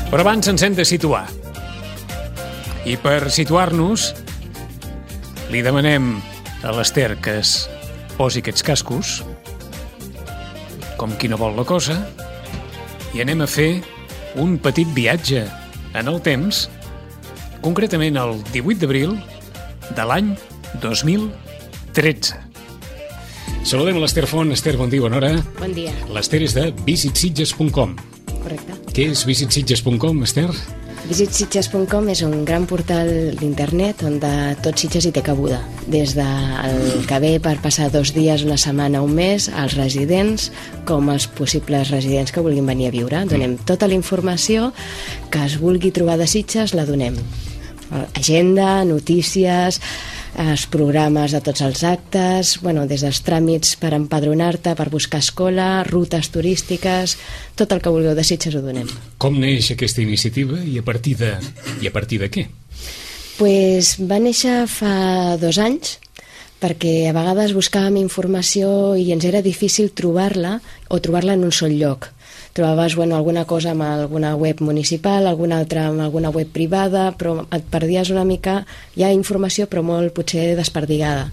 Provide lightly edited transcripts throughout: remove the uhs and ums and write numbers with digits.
Però abans ens hem de situar. I per situar-nos, li demanem a l'Ester que es posi aquests cascos, com qui no vol la cosa, i anem a fer un petit viatge en el temps, concretament el 18 d'abril de l'any 2013. Saludem a l'Ester Font. Ester, bon dia, bona hora. Bon dia. L'Ester és de visitsitges.com. Correcte. Què és visitsitges.com, Ester? Visitsitges.com és un gran portal d'internet on de tot Sitges hi té cabuda. Des del que ve per passar 2 dies, una setmana, un mes, als residents, com als possibles residents que vulguin venir a viure. Donem tota la informació que es vulgui trobar de Sitges, la donem. Agenda, notícies, els programes de tots els actes, des dels tràmits per empadronar-te, per buscar escola, rutes turístiques, tot el que vulgueu de Sitges ho donem. Com neix aquesta iniciativa i a partir de què? Pues va néixer fa 2 anys, perquè a vegades buscàvem informació i ens era difícil trobar-la o trobar-la en un sol lloc. Trobaves alguna cosa amb alguna web municipal, alguna altra amb alguna web privada, però et perdies una mica, hi ha informació però molt potser desperdigada.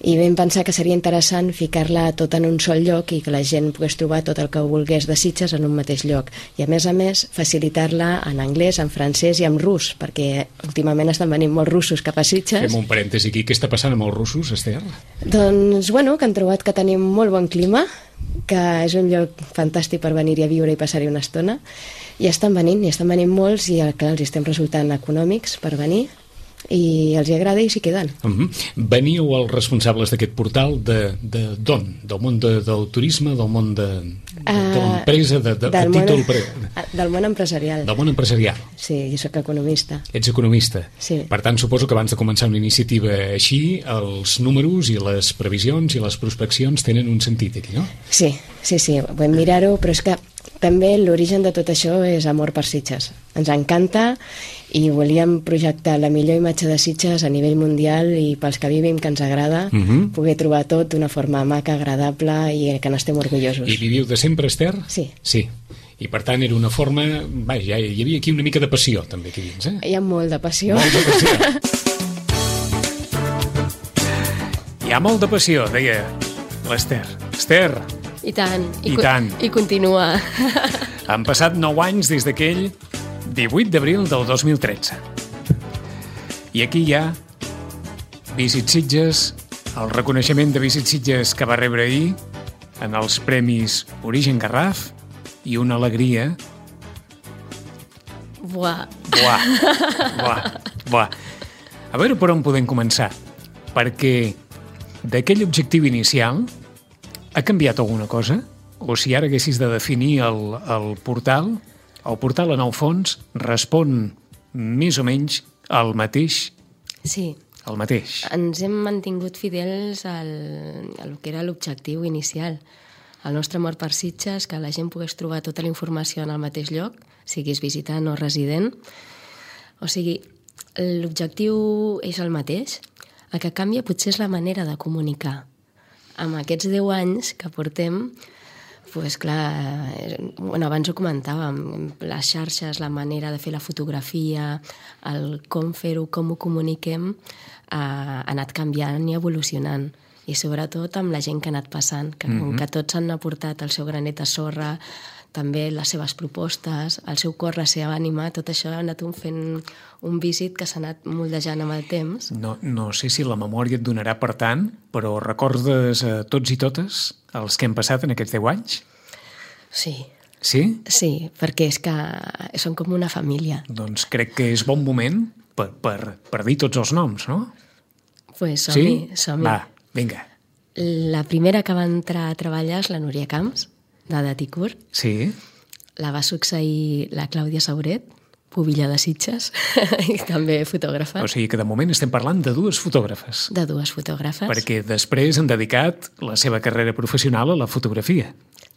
I vam pensar que seria interessant ficar-la tot en un sol lloc i que la gent pogués trobar tot el que volgués de Sitges en un mateix lloc. I a més, facilitar-la en anglès, en francès i en rus, perquè últimament estan venint molts russos cap a Sitges. Fem un parèntesi aquí. Què està passant amb els russos, Ester? Doncs, que han trobat que tenim molt bon clima, que és un lloc fantàstic per venir-hi a viure i passar-hi una estona, i estan venint molts i clar, els estem resultant econòmics per venir i els hi agrada i s'hi queden. Veníeu els responsables d'aquest portal d'on? Del món del turisme, del món de l'empresa, del món empresarial. Del món empresarial. Sí, jo soc economista. Ets economista. Sí. Per tant, suposo que abans de començar una iniciativa així, els números i les previsions i les prospeccions tenen un sentit aquí, no? Sí, vam mirar-ho, però és que també l'origen de tot això és amor per Sitges. Ens encanta i volíem projectar la millor imatge de Sitges a nivell mundial i pels que vivim que ens agrada poder trobar tot d'una forma maca, agradable i que n'estem orgullosos. I viviu de sempre, Ester? Sí. I per tant era una forma... Vaja, hi havia aquí una mica de passió també aquí dins, Hi ha molt de passió. Molt de passió. Hi ha molt de passió, deia l'Ester. Ester! I tant. I tant. I continua. Han passat 9 anys des d'aquell 18 d'abril del 2013. I aquí hi ha Visit Sitges, el reconeixement de Visit Sitges que va rebre ahir en els premis Origen Garraf i una alegria... Buah. A veure per on podem començar, perquè d'aquell objectiu inicial ha canviat alguna cosa? O si ara haguessis de definir el portal en el fons respon més o menys al mateix? Sí. El mateix. Ens hem mantingut fidels al que era l'objectiu inicial. El nostre amor per Sitges, que la gent pogués trobar tota la informació en el mateix lloc, siguis visitant o resident. O sigui, l'objectiu és el mateix. El que canvia potser és la manera de comunicar. Amb aquests 10 anys que portem, abans ho comentàvem, les xarxes, la manera de fer la fotografia, el com fer-ho, com ho comuniquem, ha anat canviant i evolucionant. I sobretot amb la gent que ha anat passant, que com que tots han aportat el seu granet de sorra, també les seves propostes, el seu cor, la seva ànima, tot això ha anat fent un visit que s'ha anat moldejant amb el temps. No sé si la memòria et donarà per tant, però recordes tots i totes els que hem passat en aquests 10 anys? Sí. Sí? Sí, perquè és que són com una família. Doncs crec que és bon moment per dir tots els noms, no? Pues som-hi. Va, vinga. La primera que va entrar a treballar és la Núria Camps, de Daticur. Sí. La va succeir la Clàudia Sauret, pubilla de Sitges, i també fotògrafa. O sigui que de moment estem parlant de 2 fotògrafes. De 2 fotògrafes. Perquè després han dedicat la seva carrera professional a la fotografia.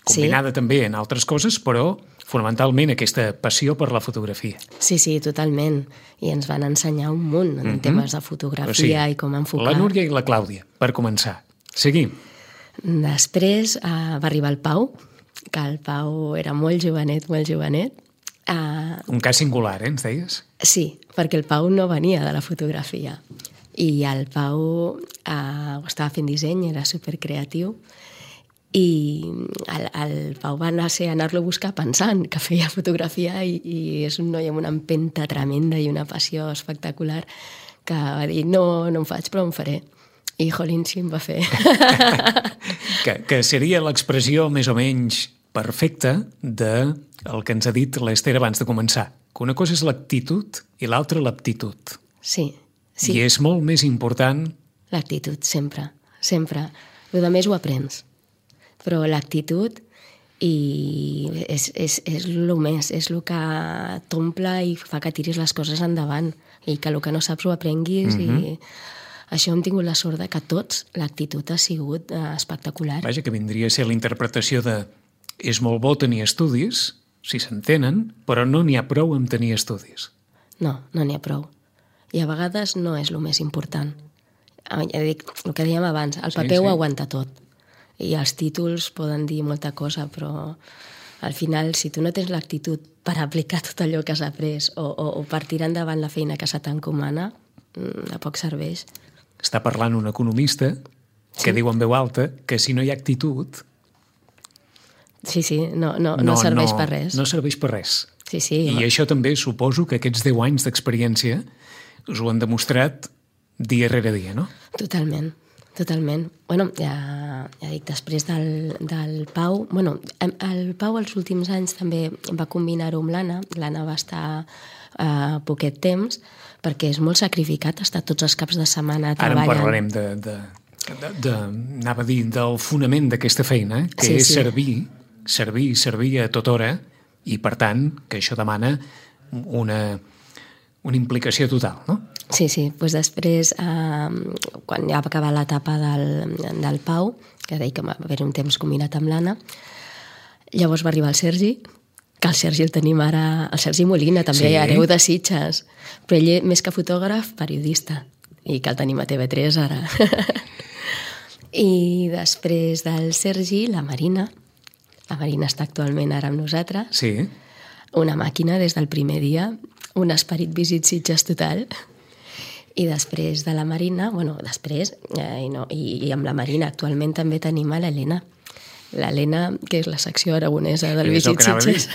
Combinada també en altres coses, però fonamentalment aquesta passió per la fotografia. Sí, totalment. I ens van ensenyar un munt en temes de fotografia i com enfocar. La Núria i la Clàudia, per començar. Seguim. Després va arribar el Pau, que el Pau era molt jovenet, Un cas singular, ens deies? Sí, perquè el Pau no venia de la fotografia. I el Pau ho estava fent disseny, era supercreatiu, i el Pau va anar-lo a buscar pensant que feia fotografia i és un noi amb una empenta tremenda i una passió espectacular que va dir, no em faig, però em faré. I, jolín, sí, em va fer. que seria l'expressió més o menys perfecta del que ens ha dit l'Ester abans de començar. Que una cosa és l'actitud i l'altra l'aptitud. Sí. I és molt més important... L'actitud, sempre. El més ho aprens. Però l'actitud és el més, és el que t'omple i fa que tiris les coses endavant i que el que no saps ho aprenguis i això hem tingut la sort de que tots l'actitud ha sigut espectacular. Vaja, que vindria a ser la interpretació de és molt bo tenir estudis, si s'entenen, però no n'hi ha prou amb tenir estudis. No n'hi ha prou. I a vegades no és el més important. Ja dic, el que dèiem abans, el paper ho aguanta tot. I els títols poden dir molta cosa, però al final, si tu no tens l'actitud per aplicar tot allò que has après o per tirar endavant la feina que se t'encomana, de poc serveix. Està parlant un economista que diu en veu alta que si no hi ha actitud... Sí, no serveix per res. No serveix per res. Sí. I això també suposo que aquests 10 anys d'experiència us ho han demostrat dia rere dia, no? Totalment. Bueno, ja dic, després del Pau... Bueno, el Pau els últims anys també va combinar-ho amb l'Anna. L'Anna va estar poquet temps perquè és molt sacrificat estar tots els caps de setmana treballant. Ara en parlarem anava a dir, del fonament d'aquesta feina, que és servir a tota hora i, per tant, que això demana una implicació total, no? Sí, doncs després, quan ja va acabar l'etapa del Pau, que deia que va haver un temps combinat amb l'Anna, llavors va arribar el Sergi, que el Sergi el tenim ara, el Sergi Molina, també hereu de Sitges, però ell, més que fotògraf, periodista, i que el tenim a TV3 ara. I després del Sergi, la Marina està actualment ara amb nosaltres, sí. Una màquina des del primer dia, un esperit Visit Sitges total. I després de la Marina, i amb la Marina actualment també tenim a l'Helena. L'Helena, que és la secció aragonesa del Visit Sitges.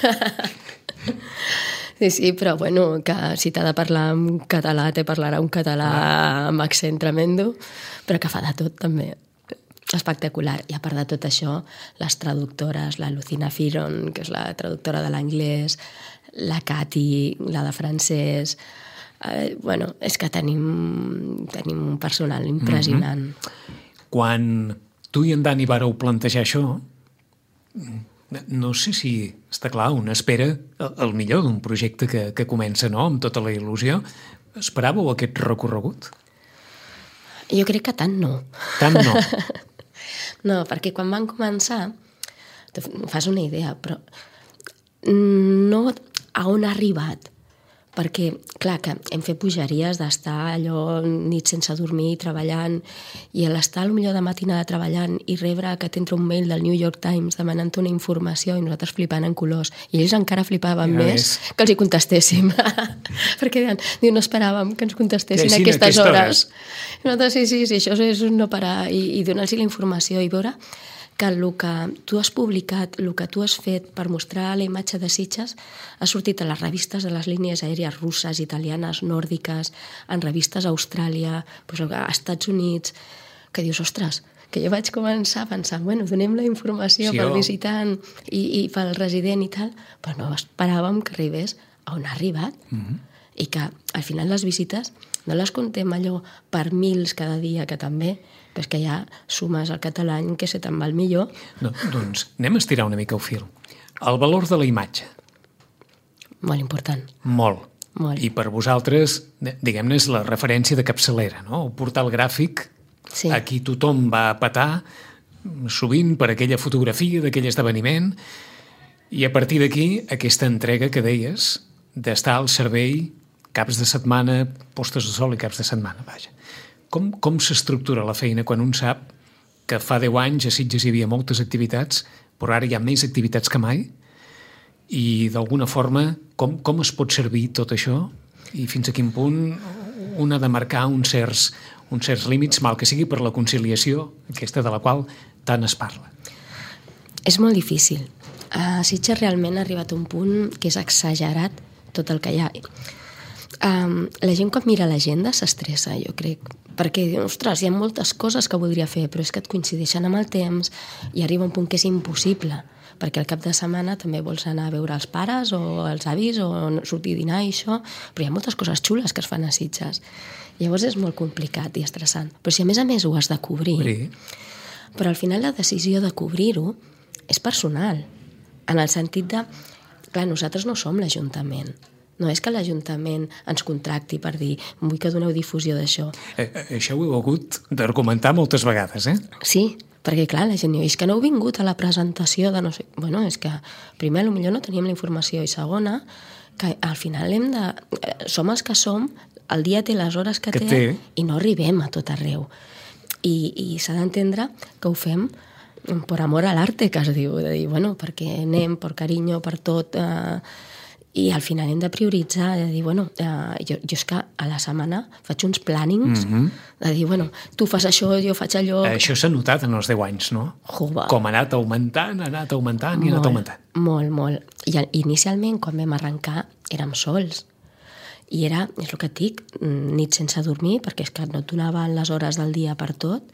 Sí, però bueno, que si t'ha de parlar en català, te parlarà un català amb accent tremendo, però que fa de tot també. Espectacular. I a part de tot això, les traductores, la Lucina Firon, que és la traductora de l'anglès, la Cati, la de francès... és que tenim un personal impressionant. Quan tu i en Dani vareu plantejar això, no sé si està clar, una espera el millor d'un projecte que comença, no?, amb tota la il·lusió. Esperàveu aquest recorregut? Jo crec que tant no. Tant no? No, perquè quan van començar, fas una idea, però no a on ha arribat. Perquè, clar, que hem fet bogeries d'estar allò nit sense dormir, treballant, i a l'estar potser de matinada treballant i rebre que t'entra un mail del New York Times demanant una informació i nosaltres flipant en colors. I ells encara flipaven més que els hi contestéssim. Perquè no esperàvem que ens contestessin a aquestes hores. I nosaltres, sí, això és no parar i donar-los la informació i veure que el que tu has publicat, el que tu has fet per mostrar la imatge de Sitges ha sortit a les revistes de les línies aèries russes, italianes, nòrdiques, en revistes a Austràlia, a Estats Units, que dius, ostres, que jo vaig començar pensant, bueno, donem la informació pel visitant i pel resident i tal, però no esperàvem que arribés a on ha arribat. I que al final les visites no les contem allò per mils cada dia, que també, però és que ja sumes el català que se te'n va el millor. No, doncs anem a estirar una mica el fil. El valor de la imatge. Molt important. Molt. I per vosaltres, diguem-ne, és la referència de capçalera, no? El portal gràfic, aquí tothom va a petar, sovint per aquella fotografia d'aquell esdeveniment, i a partir d'aquí, aquesta entrega que deies, d'estar al servei caps de setmana, postes de sol i caps de setmana, vaja. Com s'estructura la feina quan un sap que fa 10 anys a Sitges hi havia moltes activitats, però ara hi ha més activitats que mai, I d'alguna forma, com es pot servir tot això i fins a quin punt un ha de marcar uns certs límits, mal que sigui per la conciliació, aquesta de la qual tant es parla? És molt difícil. A Sitges realment ha arribat un punt que és exagerat tot el que hi ha. La gent quan mira l'agenda s'estressa, jo crec, perquè diu, ostres, hi ha moltes coses que voldria fer, però és que et coincideixen amb el temps i arriba un punt que és impossible, perquè al cap de setmana també vols anar a veure els pares o els avis o sortir a dinar i això, però hi ha moltes coses xules que es fan a Sitges. Llavors és molt complicat i estressant. Però si a més ho has de cobrir, però al final la decisió de cobrir-ho és personal, en el sentit de, clar, nosaltres no som l'Ajuntament. No és que l'Ajuntament ens contracti per dir vull que doneu difusió d'això. Això ho heu hagut d'argumentar moltes vegades, eh? Sí, perquè clar, la gent diu, és que no heu vingut a la presentació de no sé... Bueno, és que primer potser no teníem la informació i segona, que al final som els que som, el dia té les hores que té i no arribem a tot arreu. I s'ha d'entendre que ho fem per amor a l'arte, que es diu, de dir, bueno, perquè anem, per carinyo, per tot... I al final hem de prioritzar, de dir, bueno, jo és que a la setmana faig uns plànings, de dir, bueno, tu fas això, jo faig allò... Això s'ha notat en els 10 anys, no? Com ha anat augmentant i ha anat augmentant. Molt, molt. I inicialment, quan vam arrencar, érem sols. I era, és el que et dic, nit sense dormir, perquè és que no et donaven les hores del dia per tot,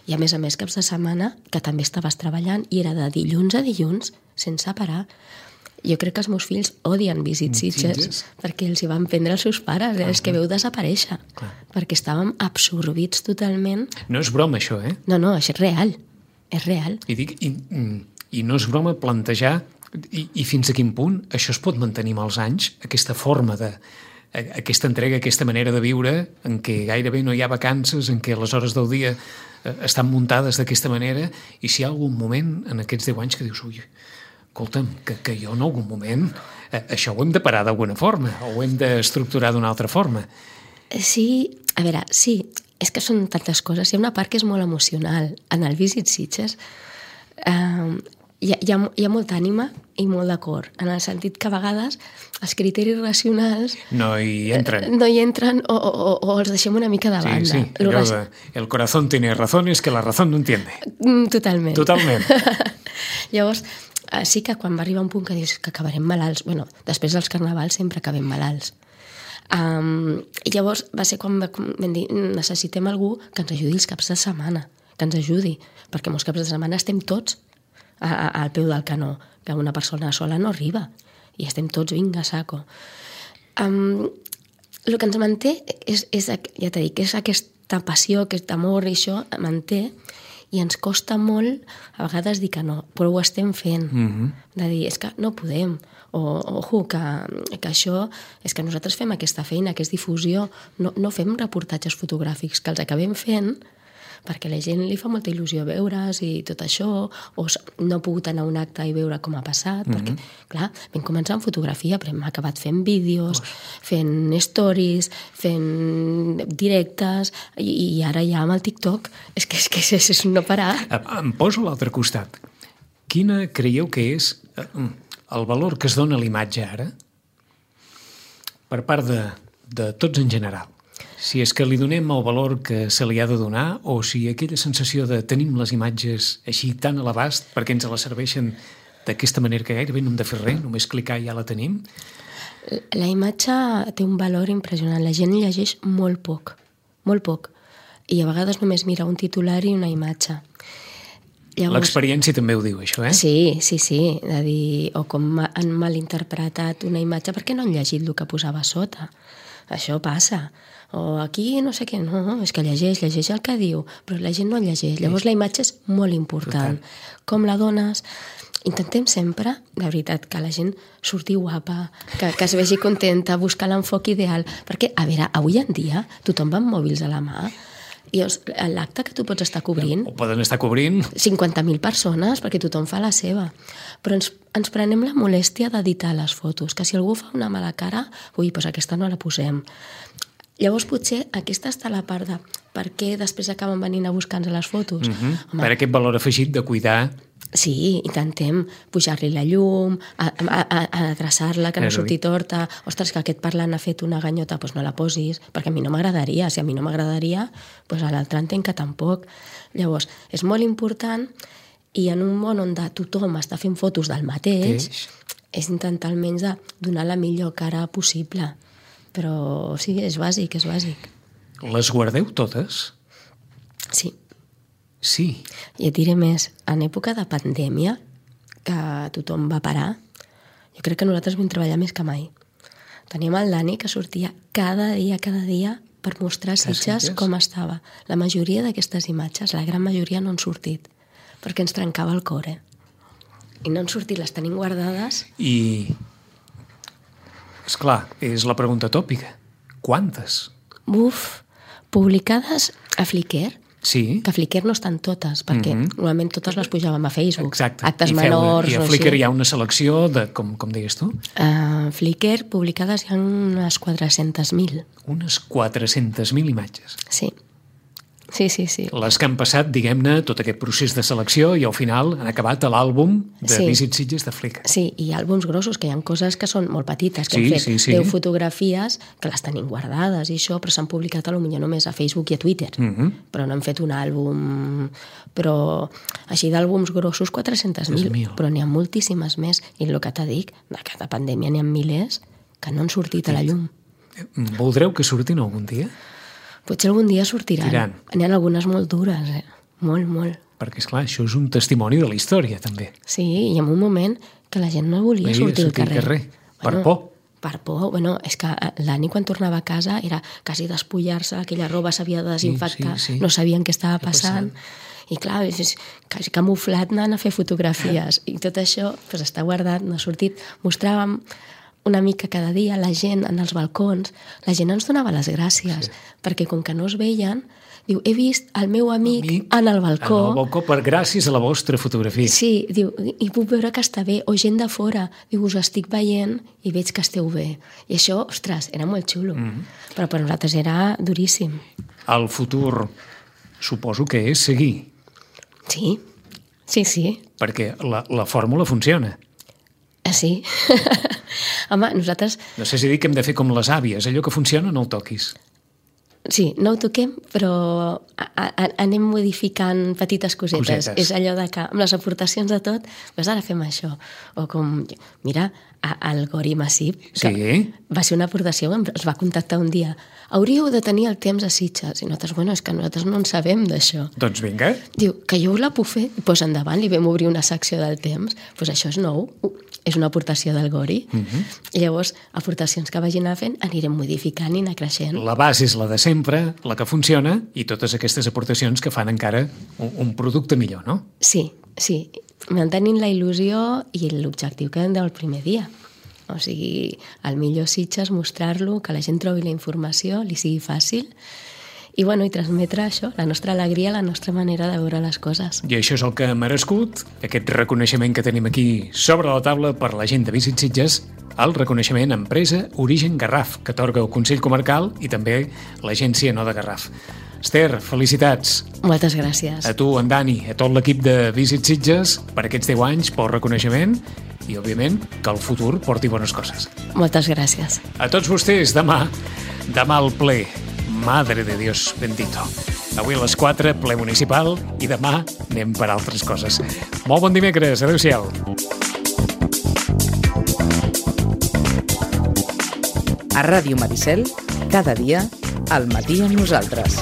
i a més, caps de setmana, que també estaves treballant, i era de dilluns a dilluns, sense parar. Jo crec que els meus fills odien Visit Sitges perquè els hi van prendre els seus pares, és que veu desaparèixer, perquè estàvem absorbits totalment. No és broma, això, eh? No, això és real, és real. I no és broma plantejar i fins a quin punt això es pot mantenir amb els anys, aquesta forma aquesta entrega, aquesta manera de viure en què gairebé no hi ha vacances, en què les hores del dia estan muntades d'aquesta manera, i si hi ha algun moment en aquests 10 anys que dius, ui, escolta'm, que jo en algun moment això ho hem de parar d'alguna forma o ho hem d'estructurar d'una altra forma. Sí, a veure, sí, és que són tantes coses. Hi ha una part que és molt emocional. En el Visit Sitges hi ha molta ànima i molt de cor, en el sentit que a vegades els criteris racionals no hi entren o els deixem una mica de banda. Sí, el corazón tiene razones que la razón no entiende. Totalment. Llavors, sí que quan va arribar un punt que dius que acabarem malalts, bueno, després dels carnavals sempre acabem malalts. I llavors va ser quan vam dir necessitem algú que ens ajudi els caps de setmana, que ens ajudi, perquè molts caps de setmana estem tots al peu del canó, que una persona sola no arriba, i estem tots, vinga, saco. El que ens manté és ja t'he dit, que és aquesta passió, aquest amor, i això manté, i ens costa molt a vegades dir que no, però ho estem fent, de dir, és que no podem, ojo, que això és que nosaltres fem aquesta feina, que és difusió, no fem reportatges fotogràfics, que els acabem fent perquè la gent li fa molta il·lusió veure's i tot això, o no ha pogut anar a un acte i veure com ha passat, perquè, clar, vam començar amb fotografia, però hem acabat fent vídeos, fent stories, fent directes, i ara ja amb el TikTok, és que és no parar. Em poso a l'altre costat. Quina creieu que és el valor que es dona a l'imatge ara per part de tots en general? Si és que li donem el valor que se li ha de donar o si aquella sensació de tenim les imatges així tan a l'abast perquè ens les serveixen d'aquesta manera que gairebé no hem de fer res, només clicar i ja la tenim. La imatge té un valor impressionant. La gent llegeix molt poc, i a vegades només mira un titular i una imatge. Llavors, l'experiència també ho diu, això, eh? Sí, de dir, o com han malinterpretat una imatge perquè no han llegit el que posava a sota. Això passa. O aquí no sé què, no, és que llegeix el que diu, però la gent no llegeix. Llavors la imatge és molt important. Com la dones? Intentem sempre, de veritat, que la gent surti guapa, que es vegi contenta, buscar l'enfoc ideal, perquè, a veure, avui en dia tothom va amb mòbils a la mà, i l'acte que tu pots estar cobrint... O poden estar cobrint... 50.000 persones, perquè tothom fa la seva. Però ens prenem la molèstia d'editar les fotos, que si algú fa una mala cara, ui, doncs aquesta no la posem. Llavors potser aquesta està la part de per què després acaben venint a buscar-nos les fotos. Per aquest valor afegit de cuidar. Sí, intentem pujar-li la llum, adreçar-la, que no surti torta. Ostres, que aquest parlant ha fet una ganyota, doncs no la posis, perquè a mi no m'agradaria. Si a mi no m'agradaria, doncs a l'altre entenc que tampoc. Llavors, és molt important, i en un món on tothom està fent fotos del mateix, és intentar almenys de donar la millor cara possible. Però sí, és bàsic, és bàsic. Les guardeu totes? Sí. Sí. I et diré més, en època de pandèmia, que tothom va parar, jo crec que nosaltres vam treballar més que mai. Teníem el Dani que sortia cada dia, per mostrar Sitges com estava. La majoria d'aquestes imatges, la gran majoria no han sortit, perquè ens trencava el cor, I no han sortit, les tenim guardades. I, esclar, és la pregunta tòpica. Quantes? Publicades a Flickr. Sí. Que a Flickr no estan totes, perquè normalment totes les pujàvem a Facebook. Exacte. Actes menors. I a Flickr hi ha una selecció de, com deies tu? A Flickr publicades hi ha unes 400.000. Unes 400.000 imatges. Sí. Sí. Les que han passat, diguem-ne, tot aquest procés de selecció i al final han acabat a l'àlbum de Visit Sitges de Flickr. Sí, i àlbums grossos, que hi ha coses que són molt petites, que hem fet 10 fotografies que les tenim guardades i això, però s'han publicat potser només a Facebook i a Twitter. Però no hem fet un àlbum... Però així d'àlbums grossos, 400.000. Però n'hi ha moltíssimes més. I el que te dic, de cada pandèmia n'hi ha milers que no han sortit a la llum. Voldreu que surtin algun dia? Potser algun dia sortiran. N'hi ha algunes molt dures, molt. Perquè, esclar, això és un testimoni de la història, també. Sí, i en un moment que la gent no volia sortir al carrer. Per por. Per por. És que l'Ani, quan tornava a casa, era quasi despullar-se, aquella roba s'havia de desinfectar, no sabien què estava passant. I clar, és quasi camuflat anant a fer fotografies. I tot això està guardat, no ha sortit. Mostràvem una mica cada dia, la gent en els balcons, la gent ens donava les gràcies, perquè com que no es veien, diu, he vist el meu amic en el balcó. En el balcó gràcies a la vostra fotografia. Sí, diu, i puc veure que està bé, o gent de fora, diu, us estic veient i veig que esteu bé. I això, ostres, era molt xulo, però per nosaltres era duríssim. El futur suposo que és seguir. Sí. Perquè la fórmula funciona. Sí. Home, nosaltres... No sé si dic que hem de fer com les àvies, allò que funciona no ho toquis. Sí, no ho toquem, però anem modificant petites cosetes. És allò de que amb les aportacions de tot, doncs ara fem això. O com, mira, el Gori Massip, que va ser una aportació, ens va contactar un dia. Hauríeu de tenir el temps a Sitges. I nosaltres, és que nosaltres no en sabem d'això. Doncs vinga. Diu, que jo la puc fer? Doncs endavant, li vam obrir una secció del temps. Doncs això és nou, és una aportació del Gori. I llavors, aportacions que vagin fent, anirem modificant i anar creixent. La base és la de sempre, la que funciona, i totes aquestes aportacions que fan encara un producte millor, no? Sí. Mantenint la il·lusió i l'objectiu que vam del primer dia. O sigui, el millor Sitges, mostrar-lo, que la gent trobi la informació, li sigui fàcil, i transmetre això, la nostra alegria, la nostra manera de veure les coses. I això és el que ha merescut, aquest reconeixement que tenim aquí sobre la taula per la gent de Visit Sitges, el reconeixement Empresa Origen Garraf, que atorga el Consell Comarcal i també l'Agència No de Garraf. Esther, felicitats. Moltes gràcies. A tu, en Dani, a tot l'equip de Visit Sitges per aquests 10 anys, pel reconeixement i, òbviament, que el futur porti bones coses. Moltes gràcies. A tots vostès, demà al ple. Madre de Dios bendito. Avui a les 4, ple municipal, i demà anem per altres coses. Molt bon dimecres, adéu-siau. A Ràdio Maricel, cada dia, al matí amb nosaltres.